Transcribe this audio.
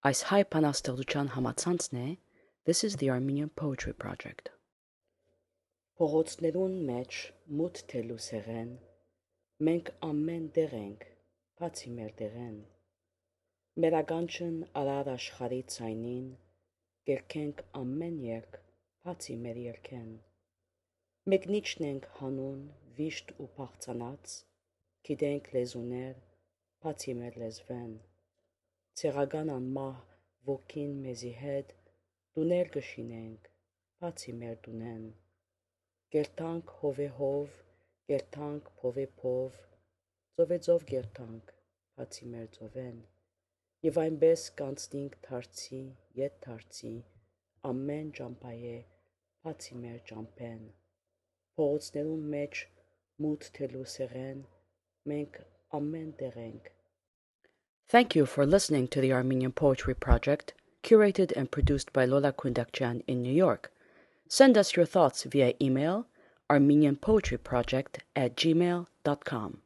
Այս հայ բանաստեղծության համացանցն է This is the Armenian Poetry Project. Փողոցներուն մեջ մութ թելուսեղեն, մենք ամեն դեղ ենք, բացի մեր դեղեն, մեր ականջն արար աշխարի ցայնին, կերքենք ամեն երկ, բացի մեր երքեն, մեկնիչն ենք հանուն, վիշտ ու փախցանած, գիտենք լեզուներ, բացի մեր լեզվեն, ցեղական անմահ ոգին մեզի հետ, դուներ կշինենք, բացի մեր դունեն, գերտանք հովե հով, գերտանք փովե փով, ծովե ծով գերտանք, բացի մեր ծովեն, և այնպես կանցնինք թարցի, ետ թարցի, ամեն ճամպայե, բացի մեր ճամպեն, փողոցներուն մեջ մութ թելուսեղեն, մենք ամեն դեղ ենք. Thank you for listening to the Armenian Poetry Project, curated and produced by Lola Kundakjian in New York. Send us your thoughts via email, armenianpoetryproject@gmail.com.